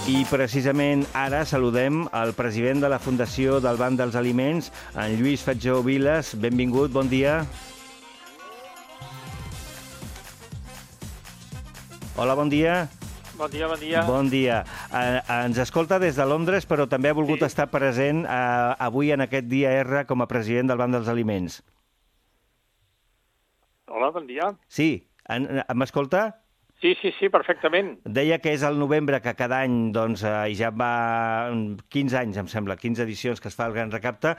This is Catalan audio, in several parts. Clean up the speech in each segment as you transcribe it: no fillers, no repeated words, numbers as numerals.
I precisament ara saludem el president de la Fundació del Banc dels Aliments, en Lluís Fatjó Vilas. Benvingut, bon dia. Hola, bon dia. Bon dia, bon dia. Bon dia. Ens escolta des de Londres, però també ha volgut estar present avui en aquest dia R com a president del Banc dels Aliments. Hola, bon dia. Sí, m'escolta? Sí, perfectament. Deia que és el novembre que cada any, doncs, i ja va 15 anys, em sembla, 15 edicions que es fa el Gran Recapte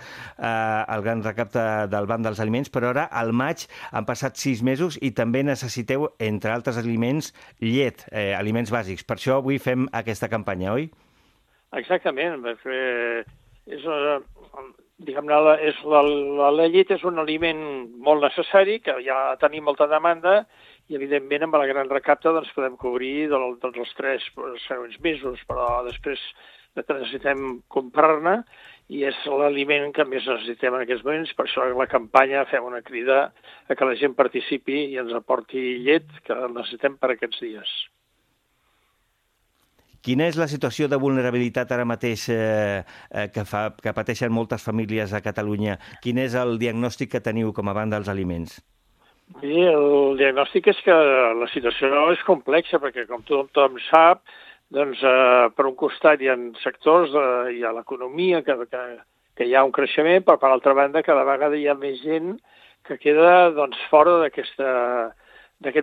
del Banc dels Aliments, però ara, al maig, han passat 6 mesos i també necessiteu, entre altres aliments, llet, aliments bàsics. Per això avui fem aquesta campanya, oi? Exactament. La llet és un aliment molt necessari, que ja tenim molta demanda, i evidentment amb el Gran Recapte doncs, podem cobrir els 3 següents mesos, però després necessitem comprar-ne i és l'aliment que més necessitem en aquests moments. Per això la campanya fem una crida a que la gent participi i ens aporti llet, que necessitem per aquests dies. Quina és la situació de vulnerabilitat ara mateix que pateixen moltes famílies a Catalunya? Quin és el diagnòstic que teniu com a Banc dels Aliments? Bé, el diagnòstic és que la situació és complexa, perquè com tothom sap, doncs, per un costat hi ha sectors, hi ha l'economia, que hi ha un creixement, però per altra banda cada vegada hi ha més gent que queda doncs, fora d'aquest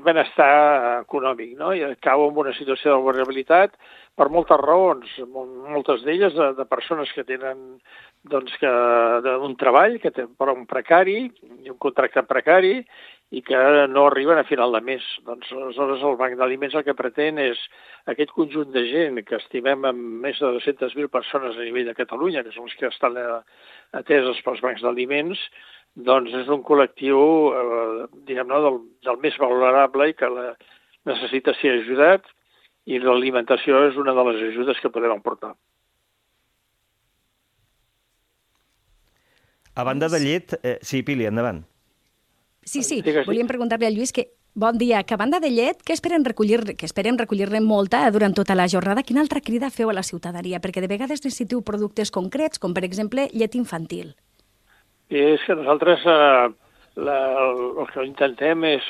benestar econòmic, no? I cau en una situació de vulnerabilitat per moltes raons, moltes d'elles de persones que tenen doncs, un treball, que té un precari, un contracte precari, i que no arriben a final de mes. Doncs, aleshores, el Banc d'Aliments el que pretén és aquest conjunt de gent que estimem amb més de 200.000 persones a nivell de Catalunya, que són els que estan ateses pels bancs d'aliments, doncs és un col·lectiu, diguem-ne, del més vulnerable i que necessita ser ajudat, i l'alimentació és una de les ajudes que podem aportar. A banda de llet... Sí, Pili, endavant. Sí, volíem preguntar-li a Lluís que, bon dia, que a banda de llet, que esperem recollir-ne molta durant tota la jornada, quina altra crida feu a la ciutadania? Perquè de vegades necessiteu productes concrets, com per exemple llet infantil. És que nosaltres el que intentem és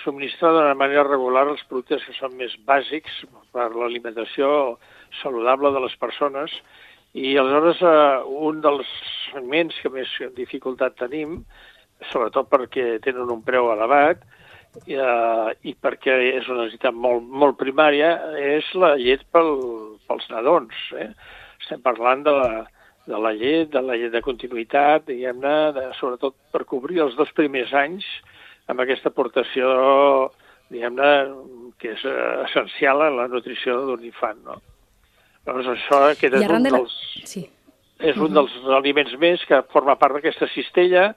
subministrar d'una manera regular els productes que són més bàsics per l'alimentació saludable de les persones, i aleshores un dels segments que més dificultat tenim, sobretot perquè tenen un preu elevat i perquè és una necessitat molt primària, és la llet pels nadons. Estem parlant de la llet de continuïtat, diguem-ne, sobretot per cobrir els 2 primers anys amb aquesta aportació, diguem-ne, que és essencial en la nutrició d'un infant, no? Llavors això és un dels aliments més que forma part d'aquesta cistella,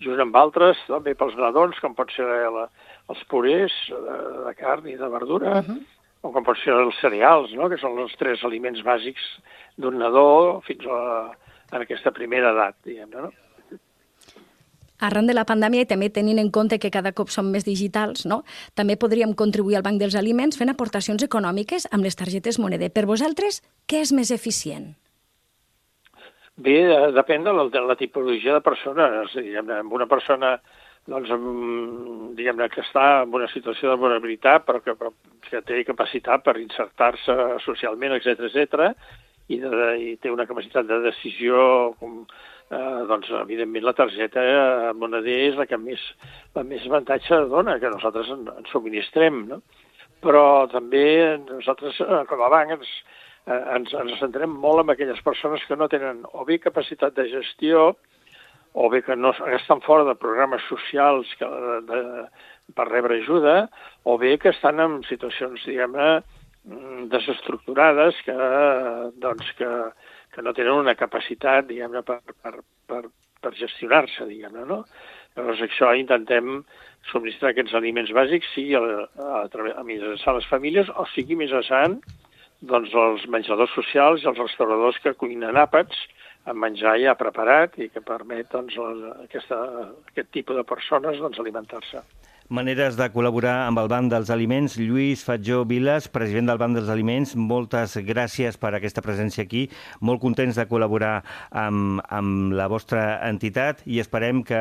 junt amb altres, també pels nadons, com pot ser els purés de carn i de verdura, o com pot ser els cereals, no? Que són els 3 aliments bàsics d'un nadó fins a aquesta primera edat, diguem-ne, no? Arran de la pandèmia i també tenint en compte que cada cop som més digitals, no? També podríem contribuir al Banc dels Aliments fent aportacions econòmiques amb les targetes Moneder. Per vosaltres, què és més eficient? Bé, depèn de la tipologia de persones. Diguem-ne, amb una persona doncs, diguem-ne que està en una situació de vulnerabilitat, però que té capacitat per insertar-se socialment, etc., i té una capacitat de decisió, doncs, evidentment, la targeta Moneder és la que més avantatge dona, que nosaltres en subministrem, no? Però també nosaltres, com a banc, ens centrem molt en aquelles persones que no tenen o bé capacitat de gestió o bé que no estan fora de programes socials per rebre ajuda, o bé que estan en situacions, diguem-ne, desestructurades que no tenen una capacitat, diguem-ne, per gestionar-se, diguem-ne, no? Llavors, això intentem subministrar aquests aliments bàsics, sigui a mitjançant les famílies o sigui mitjançant doncs, els menjadors socials i els restauradors que cuinen àpats amb menjar ja preparat i que permet doncs, aquest tipus de persones doncs, alimentar-se. Maneres de col·laborar amb el Banc dels Aliments. Lluís Fatjó Viles, president del Banc dels Aliments, moltes gràcies per aquesta presència aquí. Molt contents de col·laborar amb la vostra entitat i esperem que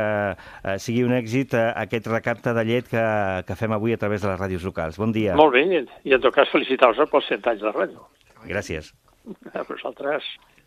sigui un èxit aquest recapte de llet que fem avui a través de les ràdios locals. Bon dia. Molt bé, i en tot cas felicitar-vos pels 100 anys de ràdio. Gràcies. A vosaltres.